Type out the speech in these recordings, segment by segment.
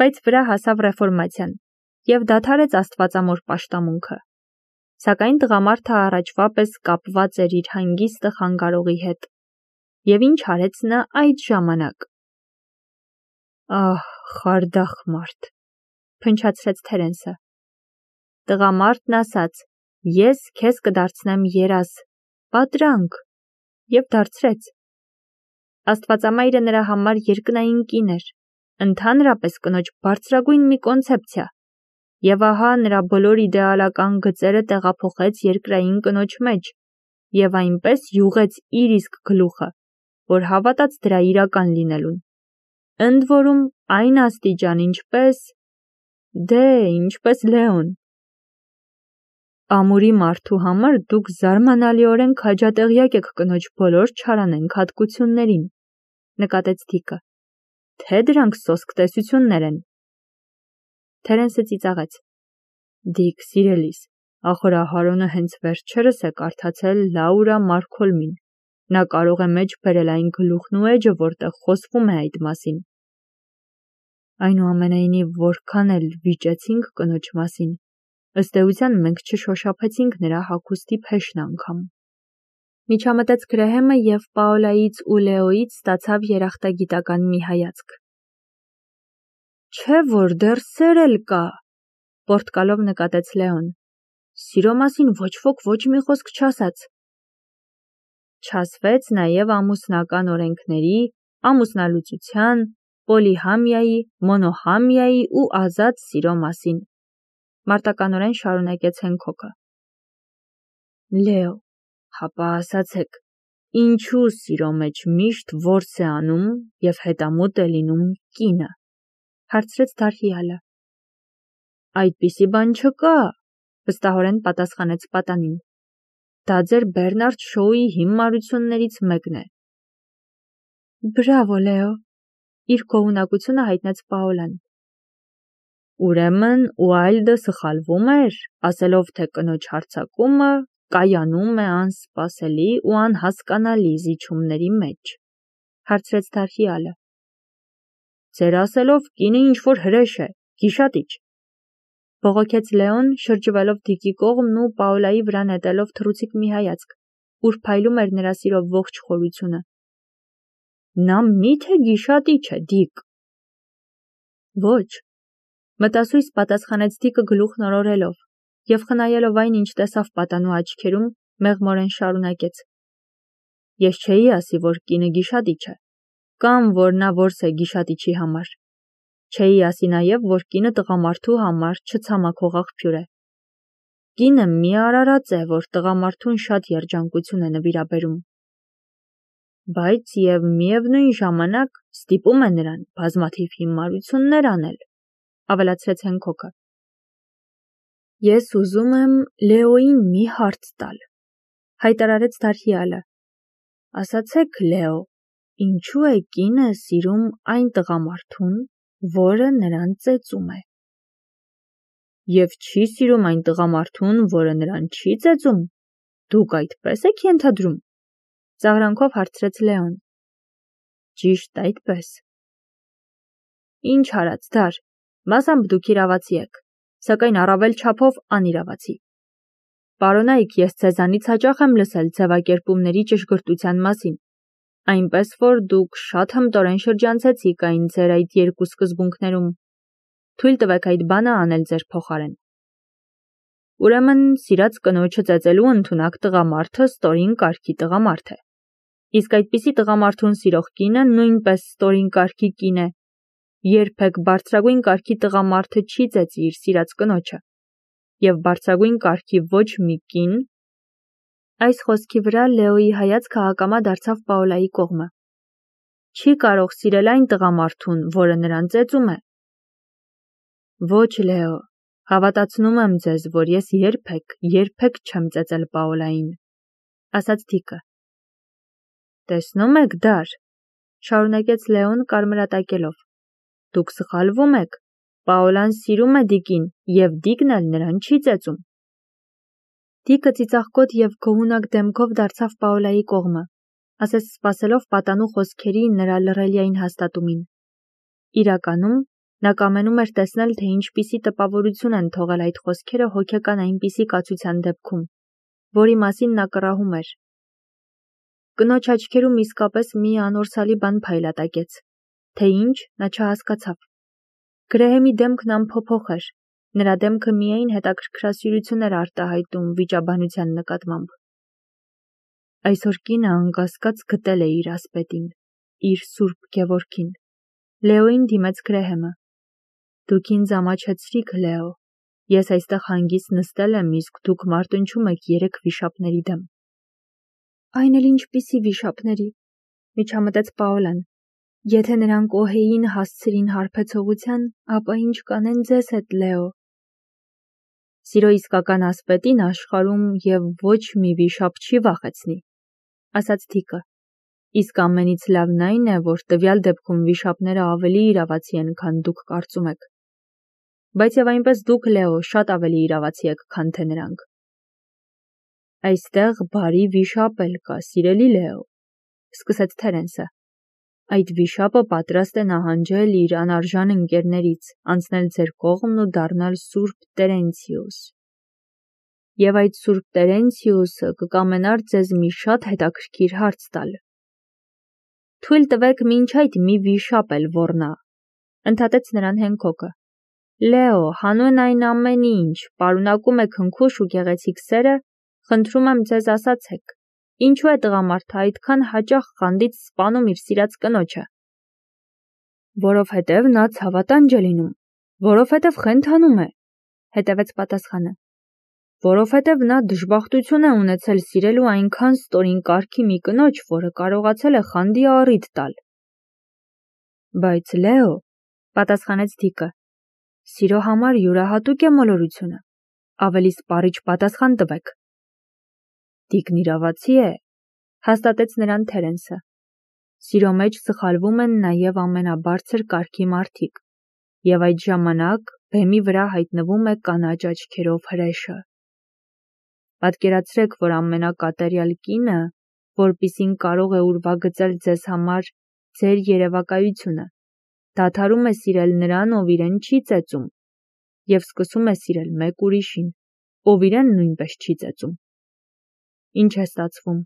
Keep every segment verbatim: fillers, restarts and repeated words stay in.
բայց վրա հասավ ռեֆորմացիան և դադարեց աստվածամոր պաշտամունքը։ Սակայն տղամարդը առաջվա պես կապված էր իր հանգիստը խանգարողի հետ։ Եվ ինչ արեց նա այդ ժամանակ։ Ահ, խարդախ մարդ, փնչացրեց Թերենսը։ Տղամարդն ասաց. ես քեզ կդարձնեմ երազ, պատրանք, և դարձրեց։ Աստվածամայրը նրա համար երկնային կին էր, ընդհանրապես կնոջ բարձրագույն մի կոնցեպցիա, և ահա նրա բոլոր իդեալական գծերը տեղափոխեց երկրային կնոջ մեջ, և այնպես յուղեց իր իսկ գլուխը, որ հավատաց դրա իրական լինելուն։ Ընդ որում այն աստիճան, ինչպես… դե, ինչպես Լեոն։ Ամուրի մարդու համար դուք զարմանալիորեն քաջատեղյակ եք կնոջ բոլոր չարանենգ հատկություններին, նկատեց Դիկը, թե դրանք սոսկ տեսություններ են։ Թերենսը ծիծաղեց. Դիկ, սիրելիս, ախորահարոնը հենց վերջերս է կարդացել Լաուրա Մարկոլմին, նա կարող է մեջ բերել այն գլուխն ու էջը, որտեղ խոսվում է այդ մասին։ Այնուամենայնիվ, որքան էլ վիճեցինք կնոջ մասին, ըստ էության մենք չշոշափեցինք նրա հագուստի փեշն անգամ։ Միջամտեց Գրեհեմը և Պաոլայից ու Լեոյից ստացավ երախտագիտական մի հայացք։ Չէ՞ որ դեռ սեր էլ կա, պոռթկալով նկատեց Լեոն։ Սիրո մասին ոչ ոք ոչ մի խոսք չասաց։ Չասվեց նաև ամուսնական օրենքների, ամուսնալուծության, պոլիհամիայի, մոնոհամիայի ու ազատ սիրո մասին, մարտականորեն շարունակեց Հենքոքը։ Լեո, հապա ասացեք, ինչու սիրո մեջ միշտ որս է անում և հետամուտ է լինում կինը, հարցրեց Դարհիալը։ Այդպիսի բան չկա, վստահորեն պատասխանեց պատանին։ Դա ձեր Բերնարդ Շոուի հիմարություններից մեկն է։ Բրավո, Լեո, իր գոհունակությունը հայտնեց Պաոլան։ Ուրեմն Ուայլդը սխալվում էր, ասելով, թե կնոջ հարձակումը կայանում է անսպասելի ու անհասկանալի զիջումների մեջ, հարցրեց Դարհիալը։ Ձեր ասելով կինը ինչ-որ հրեշ է, գիշատիչ, բողոքեց Լեոն, շրջվելով Դիկի կողմն ու Պաոլայի վրա նետելով թռուցիկ մի հայացք, ուր փայլում էր նրա սիրո ողջ խորությունը։ Նա մի՞թե գիշատիչ է, Դիկ։ Ոչ, մտասույս պատասխանեց Դիկը գլուխն օրորելով, և խնայելով այն, ինչ տեսավ պատանու աչքերում, մեղմորեն շարունակեց. Ես չէի ասի, որ կինը գիշատիչ է, կամ որ նա որս է գիշատիչի համար։ Չէի ասի նաև, որ կինը տղամարդու համար չցամաքող աղբյուր է։ Կինը մի արարած է, որ տղամարդուն շատ երջանկություն է նվիրաբերում։ Բայց և միևնույն ժամանակ ստիպում է նրան բազմաթիվ հիմարություններ անել, ավելացրեց Հենքոքը։ Ես ուզում եմ Լեոյին մի հարց տալ, հայտարարեց Դարհիալը։ Ասացեք, Լեո, ինչու է կինը սիրում այն տղամարդուն, որը նրան ծեծում է։ Եվ չի սիրում այն տղամարդուն, որը նրան չի ծեծում, դուք այդպես եք ենթադրում, ծաղրանքով հարցրեց Լեոն։ Ճիշտ այդպես։ Ինչ արած, Դար, մասամբ դուք իրավացի եք, սակայն առավել չափով անիրավացի։ Պարոնայք, ես ձեզանից հաճախ եմ լսել ձևակերպումների ճշգրտության մասին, այնպես որ դուք շատ հմտորեն շրջանցեցիք այն ձեր այդ երկու սկզբունքներում։ Թույլ տվեք այդ բանը անել ձեր փոխարեն։ Ուրեմն, սիրած կնոջը ծեծելու ընդունակ տղամարդը ստորին կարգի տղամարդ է։ Իսկ այդպիսի տղամարդուն սիրող կինը նույնպես ստորին կարգի կին է։ Երբեք բարձրագույն կարգի տղամարդը չի ծեծի իր սիրած կնոջը։ Եվ բարձրագույն կարգի ոչ մի կին… Այս խոսքի վրա Լեոյի հայացքը ակամա դարձավ Պաոլայի կողմը։ Չի կարող սիրել այն տղամարդուն, որը նրան ծեծում է։ Ոչ, Լեո, հավատացնում եմ ձեզ, որ ես երբեք, երբեք չեմ ծեծել Պաոլային, ասաց Դիկը։ Տեսնում եք, Դար, շարունակեց Լեոն կարմրատակելով, դուք սխալվում եք, Պաոլան սիրում է Դիկին, և Դիկն էլ նրան չի ծեծում։ Դիկը ծիծաղկոտ և գոհունակ դեմքով դարձավ Պաոլայի կողմը, ասես սպասելով պատանու խոսքերի նրա լռելիային հաստատումին։ Իրականում Նա կամենում էր տեսնել, թե ինչպիսի տպավորություն են թողել այդ խոսքերը հոգեկան այնպիսի կացության դեպքում, որի մասին նա կռահում էր։ Կնոջ աչքերում իսկապես մի անորսալի բան փայլատակեց, թե ինչ նա չհասկացավ։ Գրեհեմի դեմքն անփոփոխ էր, նրա դեմքը միայն հետաքրքրասիրություն էր արտահայտում վիճաբանության նկատմամբ։ Այսօր կինը անկասկած գտել է իր ասպետին, իր Սուրբ Գևորգին։ Լեոին դիմեց Գրեհեմը։ Դուք ինձ ամաչեցրիք, Լեո, ես այստեղ հանգիստ նստել եմ, իսկ դուք մարտնչում եք երեք վիշապների դեմ։ Այն էլ ինչպիսի վիշապների, միջամտեց Պաոլան։ Եթե նրանք Օհեին հասցրին հարբեցողության, ապա ինչ կանեն ձեզ հետ, Լեո։ Սիրո իսկական ասպետին աշխարհում եւ ոչ մի վիշապ չի վախեցնի, ասաց Թիկը։ Իսկ ամենից լավն այն է, որ տվյալ դեպքում վիշապները ավելի իրավացի են, քան դուք կարծում եք։ Բայց եւ այնպես դուք, Լեո, շատ ավելի իրավացի եք, քան թե նրանք։ Այստեղ բարի վիշապ էլ կա, սիրելի Լեո, սկսեց Թերենսը։ Այդ վիշապը պատրաստ է նահանջել իր անարժան ընկերներից, անցնել ձեր կողմն ու դառնալ Սուրբ Տերենցիուս։ Եվ այդ Սուրբ Տերենցիուսը կկամենար ձեզ մի շատ հետաքրքիր հարց տալ։ Թույլ տվեք մինչ այդ մի վիշապ էլ ոռնա, ընդհատեց նրան Հենքոկը։ Լեո, հանուն այն ամեն ինչ, պարունակում է քնքուշ ու գեղեցիկ սերը, խնդրում եմ ձեզ ասացեք, ինչու է տղամարդը այդքան հաճախ խանդից սպանում իր սիրած կնոջը։ Որովհետև նա ցավատանջ է լինում, որովհետև խենթանում է, հետևեց պատասխանը։ Որովհետև նա դժբախտություն է ունեցել սիրելու այնքան ստորին կարգի մի կնոջ, որը կարողացել է խանդի առիթ տալ։ Բայց Լեո, պատասխանեց Թիկը, սիրո համար յուրահատուկ է մոլորությունը, ավելի սպառիչ պատասխան տվեք։ Տիկն իրավացի է, հաստատեց նրան Թերենսը։ Սիրո մեջ սխալվում են նաև ամենաբարձր կարգի մարդիկ, եւ այդ ժամանակ բեմի վրա հայտնվում է կանաչ աչքերով հրեշը։ Պատկերացրեք, որ ամենակատարյալ կինը, որպիսին կարող է ուրվագծել ձեզ համար ձեր երևակայությունը, դադարում է սիրել նրան, ով իրեն չի ծեծում, եւ սկսում է սիրել մեկ ուրիշին, ով իրեն նույնպես չի ծեծում։ Ինչ է ստացվում։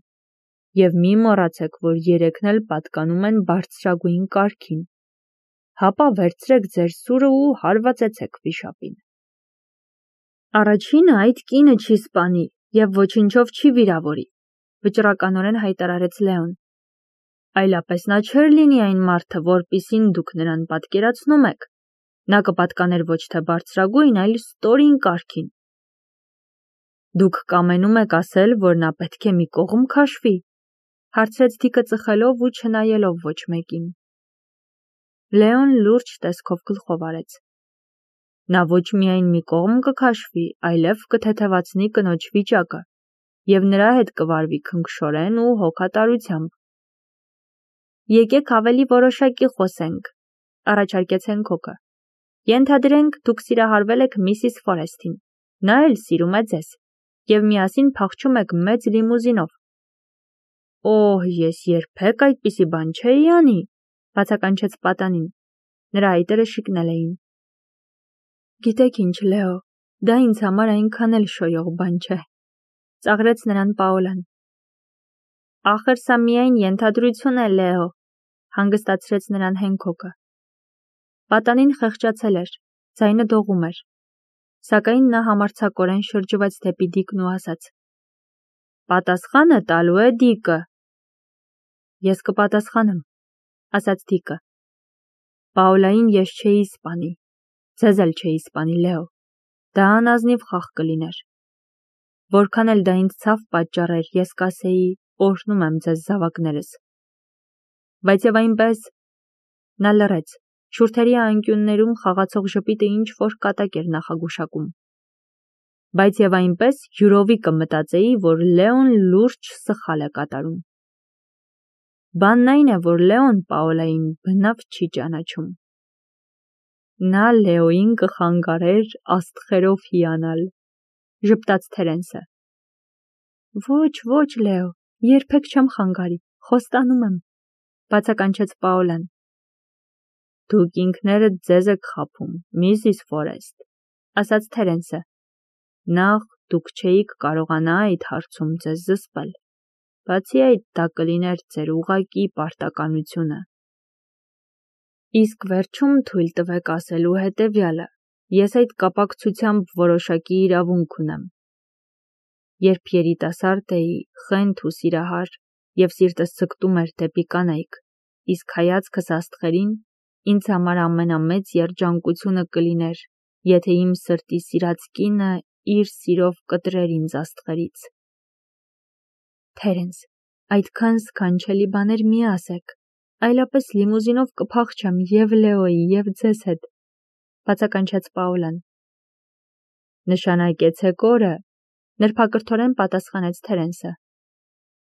Եվ մի մոռացեք, որ երեքն էլ պատկանում են բարձրագույն կարգին։ Հապա վերցրեք ձեր սուրը ու հարվածեցեք վիշապին։ Առաջինը այդ կինը չի սպանի եւ ոչինչով չի վիրավորի, վճռականորեն հայտարարեց Լեոն։ Այլապես նա չէր լինի այն մարդը, որպիսին դուք նրան պատկերացնում եք։ Նա կպատկաներ ոչ թե բարձրագույն, այլ ստորին կարգին։ Դուք կամենում եք ասել, որ նա պետք է մի կողմ քաշվի, հարցրեց Թիկը ծխելով ու չնայելով ոչ մեկին։ Լեոն լուրջ տեսքով գլխով արեց։ Նա ոչ միայն մի կողմ կքաշվի, այլև կթեթևացնի կնոջ վիճակը, եւ նրա հետ կվարվի քնքշորեն ու հոգատարությամբ։ Եկեք ավելի որոշակի խոսենք, առաջարկեց Հենքոկը։ Ենթադրենք, դուք սիրահարվել եք Միսիս Ֆորեսթին, նա էլ սիրում է ձեզ, եւ միասին փախչում եք մեծ լիմուզինով։ Օհ, ես երբեք այդպիսի բան չէի անի, բացականչեց պատանին։ Նրա այտերը շիկնել էին։ Գիտեք ինչ, Լեո, դա ինձ համար այնքան էլ շոյող բան չէ, ծաղրեց նրան Պաոլան։ Ախր սա միայն ենթադրություն է, Լեո, հանգստացրեց նրան Հենքոկը։ Պատանին խեղճացել էր, ձայնը դողում էր, սակայն նա համարձակորեն շրջվեց դեպի Դիկն ու ասաց. Պատասխանը տալու է Դիկը։ Ես կպատասխանեմ, ասաց Դիկը։ Պաոլային ես չէի սպանի, ձեզ էլ չէի սպանի, Լեո, դա անազնիվ խաղ կլիներ։ Որքան էլ դա ինձ ցավ պատճառեր, ես կասեի, օրհնում եմ ձեզ զավակներս։ Բայց եւ այնպես նա լռեց, շուրթերի անկյուններում խաղացող ժպիտը ինչ որ կատակ էր նախագուշակում։ Բայց եւ այնպես յուրովի կմտածեի, որ Լեոն լուրջ սխալ է կատարում։ Բանն այն է, որ Լեոն Պաոլային բնավ չի ճանաչում։ Նա Լեոին կխանգարեր աստղերով հիանալ, ժպտաց Թերենսը։ Ոչ, ոչ, Լեո, երբեք չեմ խանգարի, խոստանում եմ, բացականչեց Պաոլան։ Դուք ինքներդ ձեզ եք խաբում, Միսիս Ֆորեստ, ասաց Թերենսը։ Նախ դուք չէիք կարողանա այդ հարցում ձեզ զսպել։ Բացի այդ, դա կլիներ ձեր ուղղակի պարտականությունը։ Իսկ վերջում թույլ տվեք ասելու հետևյալը. ես այդ կապակցությամբ որոշակի իրավունք ունեմ։ Երբ երիտասարդ էի, խենթ ու սիրահար, և սիրտս ձգտում էր դեպի կանայք, իսկ հայացքս աստղերին, ինձ համար ամենամեծ երջանկությունը կլիներ, եթե իմ սրտի սիրած կինը իր սիրով կտրեր ինձ աստղերից։ Թերենս, այդքան սքանչելի բաներ մի ասեք, այլապես լիմուզինով կփախչեմ և Լեոյի, և ձեզ հետ, բացականչեց Պաուլան։ Նշանակեցեք օրը, նրբակրթորեն պատասխանեց Թերենսը։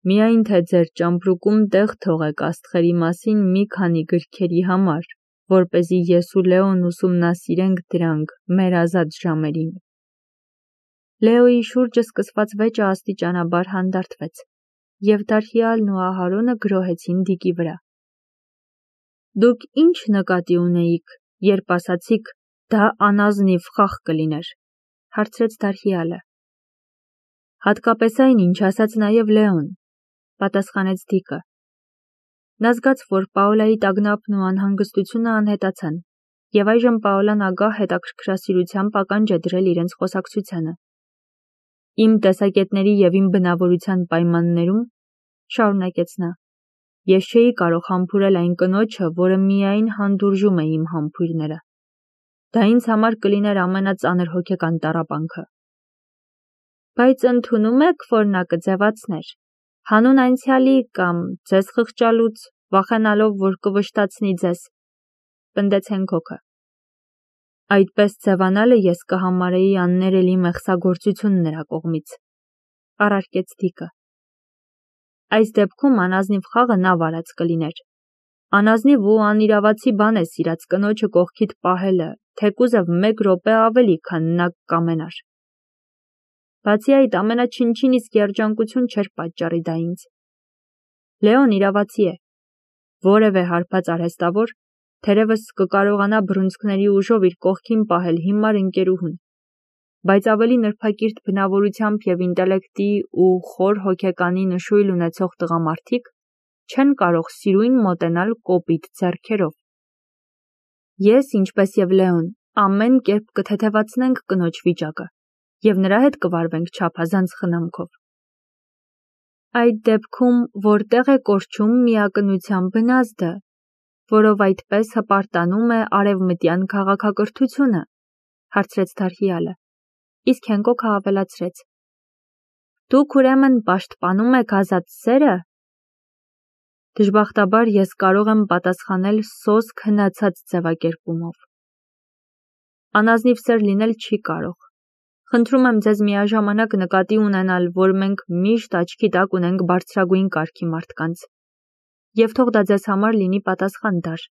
Միայն թե ձեր ճամպրուկում տեղ թողեք աստղերի մասին մի քանի գրքերի համար, որպեսզի ես ու Լեոն ուսումնասիրենք դրանք մեր ազատ ժամերին։ Լեոյի շուրջը սկսված վեճը աստիճանաբար հանդարտվեց, և Դարհիալն ու Ահարոնը գրոհեցին Դիկի վրա։ Դուք ի՞նչ նկատի ունեիք, երբ ասացիք, դա անազնիվ խաղ կլիներ, հարցրեց Դարհիալը։ Հատկապես այն, ինչ ասաց նաև Լեոն, պատասխանեց Դիկը։ Նա զգաց, որ Պաուլայի տագնապն ու անհանգստությունը անհետացան, և այժմ Պաուլան ագահ հետաքրքրասիրությամբ ականջ է դրել իրենց խոսակցությանը։ Իմ տեսակետների և իմ բնավորության պայմաններում, շարունակեց նա, ես չէի կարող համբուրել այն կնոջը, որը միայն հանդուրժում է իմ համբույրները։ Դա ինձ համար կլիներ ամենածանր հոգեկան տառապանքը։ Բայց ընդունում եք, որ նա կձևացներ, հանուն անցյալի կամ ձեզ խղճալուց, վախենալով, որ կվշտացնի ձեզ, պնդեց Հենքոքը։ Այդպես ձևանալը ես կհամարեի աններելի մեղսագործություն նրա կողմից, առարկեց Դիկը։ Այս դեպքում անազնիվ խաղը նա վարած կլիներ։ Անազնիվ ու անիրավացի բան է սիրած կնոջը կողքիդ պահելը, թեկուզև մեկ րոպե ավելի, քան նա կամենար։ Բացի այդ, ամենաչնչին իսկ երջանկություն չէր պատճառի դա ինձ։ Լեոն իրավացի է, որևէ հարբած արհեստավոր, թերևս կկարողանա բռունցքների ուժով իր կողքին պահել հիմար ընկերուհուն, բայց ավելի նրբակիրթ բնավորությամբ և ինտելեկտի ու խոր հոգեկանի նշույլ ունեցող տղամարդիկ չեն կարող սիրույն մոտենալ կոպիտ ձեռքերով։ Ես, ինչպես և Լեոն, ամեն կերպ կթեթևացնենք կնոջ վիճակը և նրա հետ կվարվենք չափազանց խնամքով։ Այդ դեպքում որտեղ է կորչում միակնության բնազդը, որով այդպես հպարտանում է արևմտյան քաղաքակրթությունը, հարցրեց Դարհիալը, իսկ Հենքոքը ավելացրեց. Դուք ուրեմն պաշտպանում եք ազատ սերը։ Դժբախտաբար ես կարող եմ պատասխանել սոսկ հնացած ձևակերպումով։ Անազնիվ սեր լինել չի կարող։ Խնդրում եմ ձեզ միաժամանակ նկատի ունենալ, որ մենք միշտ աչքի տակ ունենք բարձրագույն կարգի մարդկանց, և թող դա ձեզ համար լինի պատասխան դար։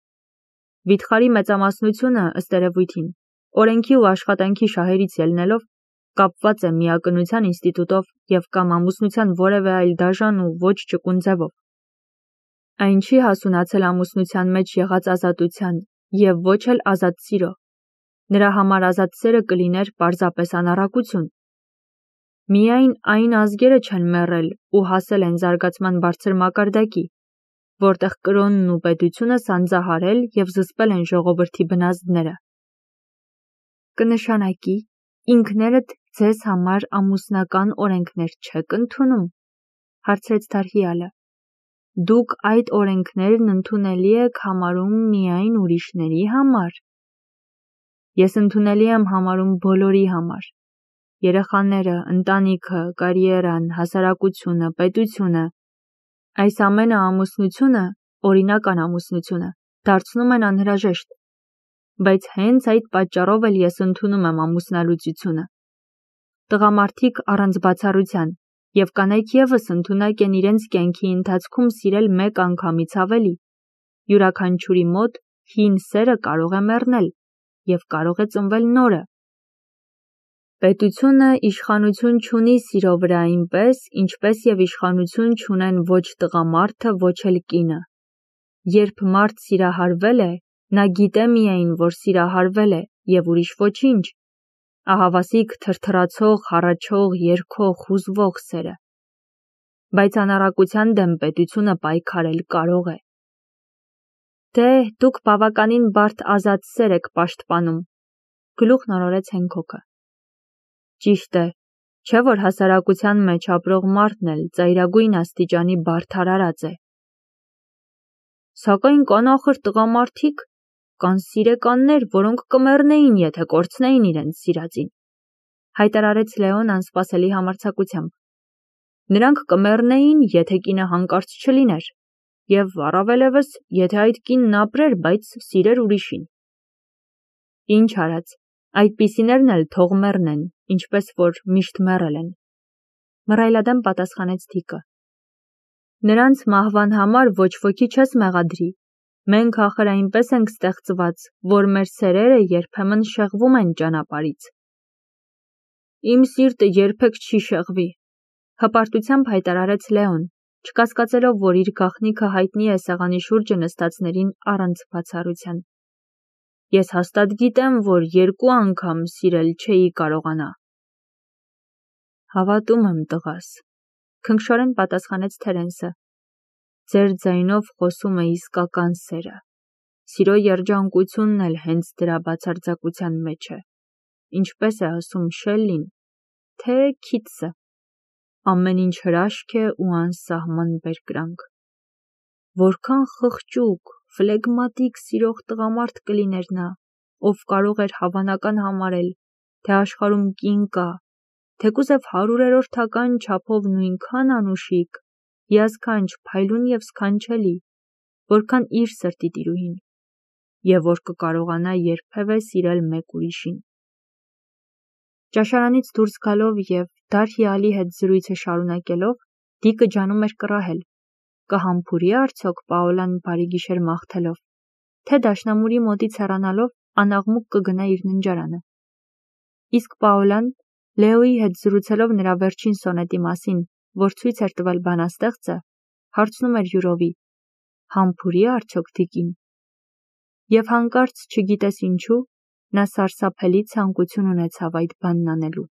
Վիթխարի մեծամասնությունը, ըստ երևույթին, օրենքի ու աշխատանքի շահերից ելնելով, կապված է միակնության ինստիտուտով և կամ ամուսնության որևէ այլ դաժան ու ոչ ճկուն ձևով։ Այն չի հասունացել ամուսնության մեջ եղած ազատության և ոչ էլ ազատ սիրո։ Նրա համար ազատ սերը կլիներ պարզապես անառակություն։ Միայն այն ազգերը չեն մեռել ու հասել են զարգացման բարձր մակարդակի, որտեղ կրոնն ու պետությունը սանձահարել և զսպել են ժողովրդի բնազդները։ Կնշանակի, ինքներդ ձեզ համար ամուսնական օրենքներ չեք ընդունում, հարցրեց Դարհիալը։ Դուք այդ օրենքներն ընդունելի եք համարում միայն ուրիշների համար։ Ես ընդունելի եմ համարում բոլորի համար։ Երեխաները, ընտանիքը, կարիերան, հասարակությունը, պետությունը, այս ամենը ամուսնությունը, օրինական ամուսնությունը, դարձնում են անհրաժեշտ, բայց հենց այդ պատճառով էլ ես ընդունում եմ ամուսնալուծությունը։ Տղամարդիկ առանց բացառության և կանայք ևս ընդունակ են իրենց կյանքի ընթացքում սիրել մեկ անգամից ավելի։ Յուրաքանչյուրի մոտ հին սերը կարող է մեռնել և կարող է ծնվել նորը։ Պետությունը իշխանություն չունի սիրո վրա այնպես, ինչպես և իշխանություն չունեն ոչ տղամարդը, ոչ էլ կինը։ Երբ մարդ սիրահարվել է, Նա գիտե միայն, որ սիրահարվել է և ուրիշ ոչինչ, ահավասիկ թրթռացող, հառաչող, երգող, հուզվող սերը, բայց անառակության դեմ պետությունը պայքարել կարող է։ Դե, դուք բավականին բարդ ազատ սեր եք պաշտպանում, գլուխ նորորեց Հենքոքը։ Ճիշտ է, չէ որ հասարակության մեջ ապրող մարդն էլ ծայրագույն աստիճանի բարդարարած է։ Սակայն կան ախր տղամարդիկ, կան սիրեկաններ, որոնք կմեռնեին, եթե կորցնեին իրենց սիրածին, հայտարարեց Լեոն անսպասելի համարձակությամբ։ Նրանք կմեռնեին, եթե կինը հանկարծ չլիներ, և առավելևս, եթե այդ կինն ապրեր, բայց սիրեր ուրիշին։ Ինչ արած, այդպիսիներն էլ թող մեռնեն, ինչպես որ միշտ մեռել են, մռայլադեմ պատասխանեց Դիկը։ Նրանց մահվան համար ոչ ոքի չես մեղադրի, մենք ախր այնպես ենք ստեղծված, որ մեր սերերը երբեմն շեղվում են ճանապարհից։ Իմ սիրտը երբեք չի շեղվի, հպարտությամբ հայտարարեց Լեոն, չկասկածելով, որ իր գաղտնիքը հայտնի է սեղանի շուրջը նստածներին առանց բացառության։ Ես հաստատ գիտեմ, որ երկու անգամ սիրել չէի կարողանա։ Հավատում եմ, տղաս, քնքշորեն պատասխանեց Թերենսը։ Ձեր ձայնով խոսում է իսկական սերը։ Սիրո երջանկությունն էլ հենց դրա բացարձակության մեջ է։ Ինչպես է ասում Շելլին, թե Քիթսը, ամեն ինչ հրաշք է ու անսահման բերկրանք։ Որքան խղճուկ, ֆլեգմատիկ սիրող տղամարդ կլիներ նա, ով կարող էր հավանական համարել, թե աշխարհում կին կա, թեկուզև հարյուրերորդական չափով նույնքան անուշիկ, հիասքանչ, փայլուն և սքանչելի, որքան իր սրտի տիրուհին, և որ կկարողանա երբևէ սիրել մեկ ուրիշին։ Ճաշարանից դուրս գալով և Դարհիալի հետ զրույցը շարունակելով, Դիկը ջանում էր կռահել, կհամբուրի արդյոք Պաոլան բարի գիշեր մաղթելով, թե դաշնամուրի մոտից հեռանալով անաղմուկ կգնա իր ննջարանը։ Իսկ Պաոլան, Լեոյի հետ զրուցելով նրա վերջին սոնետի մասին, որ ցույց էր տվել բանաստեղծը, հարցնում էր յուրովի. համբուրի արդյոք Դիկին։ Եվ հանկարծ, չգիտես ինչու, նա սարսափելի ցանկություն ունեցավ այդ բանն անելու։